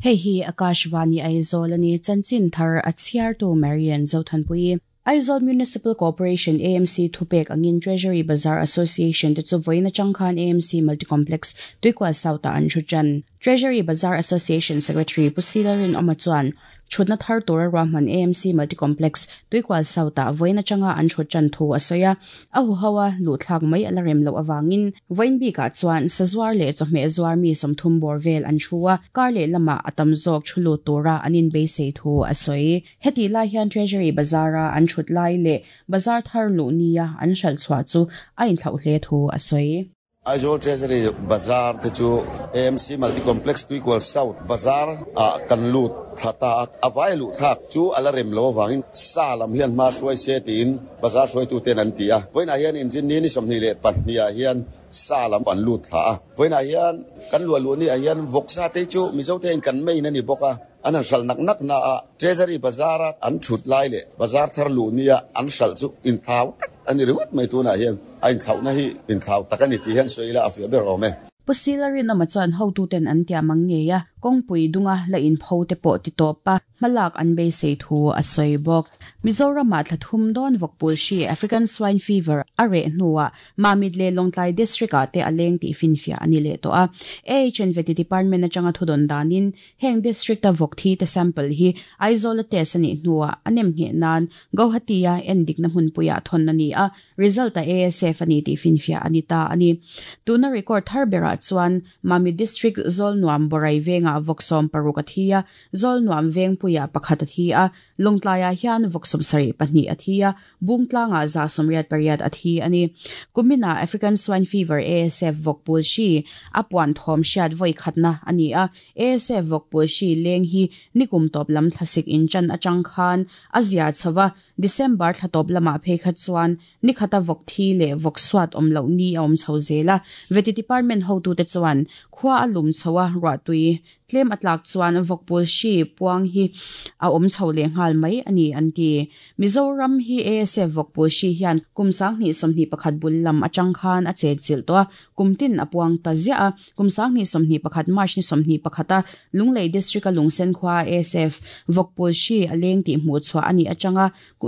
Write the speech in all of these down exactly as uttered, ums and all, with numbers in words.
Hei hi Akashvani Aizawl ani chanchin thar a chhiar tu Marian Zothanpui. Aizawl Municipal Corporation A M C thupek angin Treasury Bazaar Association te chu voina changkhan A M C Multicomplex Tuikwal South an thuchan. Treasury Bazaar Association Secretary Pusilarin Omachuan chutna thar tora rahman A M C Multicomplex Tuikwal South a voina changa an thuchan thu asoya ahu hawa lu thlak mai alarem lo awangin voin bi ka chuan sazwar le chawhme zwar mi somthum bor vel an thua karle lama atam zok thulu tora anin be sei thu asoi heti lai hian Treasury Bazaara an thut lai le bazar thar lu nia an hral chwa chu ain thlau hle thu asoi. Aizawl Treasury Bazaar te chu A M C Multicomplex Tuikwal South Bazaar a kan lut thata avai lu thak chu alarem lo wangin sa lam hian ma suai se tin bazar suai tu ten an tia voina hian injin ni ni somni le pahnia hian sa lam an lut tha voina hian kan lu lu ni a hian voksa te chu mizo ten kan mei na ni boka an an sal nak nak na a Treasury Bazaar an thut lai le bazar thar lu nia an sal chu in thau ani ringot mai tu na hian ain thau na hi in thau takani ti hian soila afia ber ome. Pusilarin amachuan hotu ten an tia mangngeya kongpui dunga la in pho te pawh ti tawpa hmalak an beisei thu a sawi bawk. Mizoram ah thlathum dawn vawkpul hri African swine fever a reh hnuah Mamit le Lawngtlai district ah te a leng tih finfiah ani leh tawh a. A H N Veti department atanga thudon danin heng district a vawk thi te sample hi Aizawl a test ani hnuah a nem nge nan Guwahati a endik na hmunpuiah thawn ani a result a A S F ani tih finfiah ani ta ani. Tuna record thar berah chuan Mamit district Zol Nuam Borai venga vawksom paruk a thi a Zol Nuam veng puia pakhat a thi a Lawngtlai ah hian vawksom sarih pahnih a thi a Bungtlanga za somriat pariat a thi ani. Kumina African swine fever A S F vawkpul hri a puan thawm hriat vawi khatna ani a A S F vawkpul hri leng hi nikum tawp lam thlasik in chan atang khan a zia chhowa December thlatawp lamah phei kha chuan nikhata vawk thi leh vawk suat awm loh ni a awm chho zela veti department hotu te chuan khua a lum chhowa ruahtui tlem atlak chuan vawkpul hri puang hi a awm chho leh nghal mai ani an ti. Mizoram hi A S F vawkpul hri hian kum sanghnih sawmhnih pakhat bul lam atang khan a chenchilh tawh a kumtin a puang ta ziah a kum sanghnih sawmhnih pakhat March ni sawmhnih pakhata Lunglei district a Lungsen khua A S F vawkpul hri a leng tih hmuh chhuah ani atanga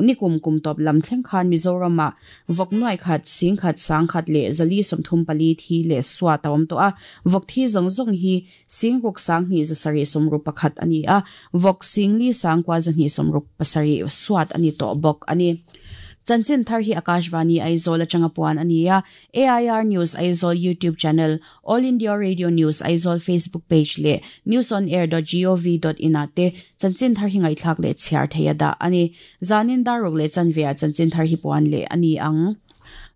nikum kum tawp lam thleng khan Mizoram ah vawk nuai khat sing khat sang khat leh zali sawmthum pali thi leh suat a awm tawh a vawk thi zawng zawng hi sing ruk sanghnih zasarih sawmruk pakhat ani a vawk singli sangkua zahnih sawmruk pasarih suat ani tawh bawk ani. Chanchin thar hi Akashvani Aizawl atanga puan ani a A I R News Aizawl YouTube channel, All India Radio News Aizawl Facebook page le news on air dot gov dot in ate chanchin thar hi ngaithlak le chhiar theia da ani. Zanin daruk le chanvia chanchin thar hi puan le ani ang.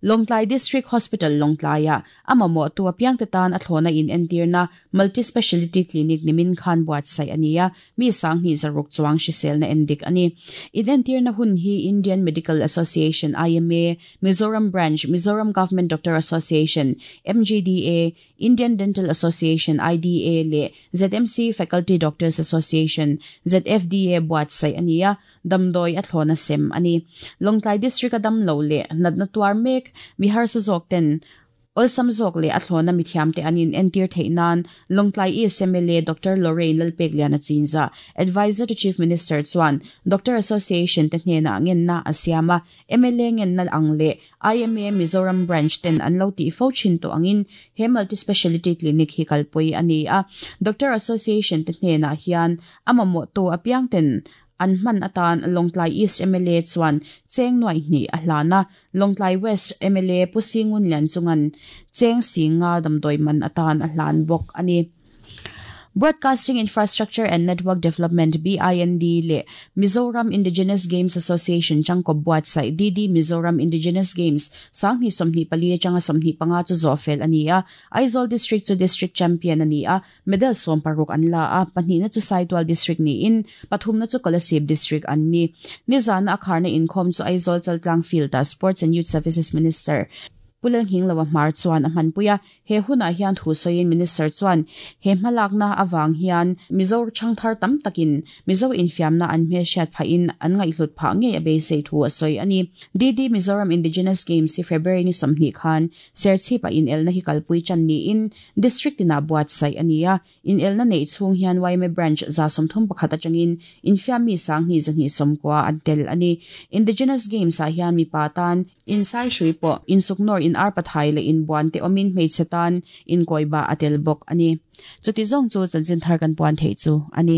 Lawngtlai District Hospital Lawngtlai ah amamo tu apiang te tan a thlona in entirna multi-speciality clinic nimin khan buat sai ania mi sanghni zaruk chuang hrisel na endik ani. In entirna hun hi Indian Medical Association I M A, Mizoram Branch, Mizoram Government Doctor Association M G D A, Indian Dental Association I D A le Z M C Faculty Doctors Association Z F D A buat sai ania damdoi a thlona sem ani. Lawngtlai District a dam lo le natna tuar mek mi har sa zawk ten awlsam zawk le a thlona mi thiam te anin entir theinan Lawngtlai East M L A Doctor Lorraine Lalpekliana Chinza Advisor to Chief Minister chuan Doctor Association te hnena ngenna a siama M L A ngenna ang le I M A Mizoram Branch ten an lo ti fo chin to angin he multi-speciality clinic hi kalpui ani a Doctor Association te hnena hian amamo to apiang ten an man atan Lawngtlai East M L A chuan cheng nuai hni a hlana Lawngtlai West M L A Pusingun lian chungan cheng singa damdoi man atan a hlan bawk ani. Broadcasting Infrastructure and Network Development B I N D le Mizoram Indigenous Games Association changkop buat sai D D Mizoram Indigenous Games sanghni sawmhnih pali atanga sawmhnih panga chu zawhfel ani a Aizawl District chu District Champion ani a medal sawm paruk an la a pahnih na chu Saitual District ni in pathum na chu Kolasib District an ni. Nizan a kharna inkhawm chu Aizawl Chaltlang Field a Sports and Youth Services Minister Pulang hing lawa mar chuan a hmanpuia He hunah hian thu sawiin Minister chuan he hmalakna awang hian Mizo thangthar tam takin Mizo infiamna an hmelhriat phahin an ngaihhlut phah ngei a beisei thu a sawi ani. D D Mizoram Indigenous Games hi February ni sawmhnih khan Serchhip a inelna hi kalpui chan niin district tinah buatsaih ani a. Inelna nei chhung hian Y M A branch za sawmthum pakhat atangin infiammi sanghnih zahnih sawmkua an tel ani. Indigenous Games ah hian mipa tan insai hrui pawh insuknawr in arpathai leh inbuan te awmin hmeichhe tan inkawiba a tel bawk ani. Chuti zawng chu chanchin thar kan puan thei chu ani.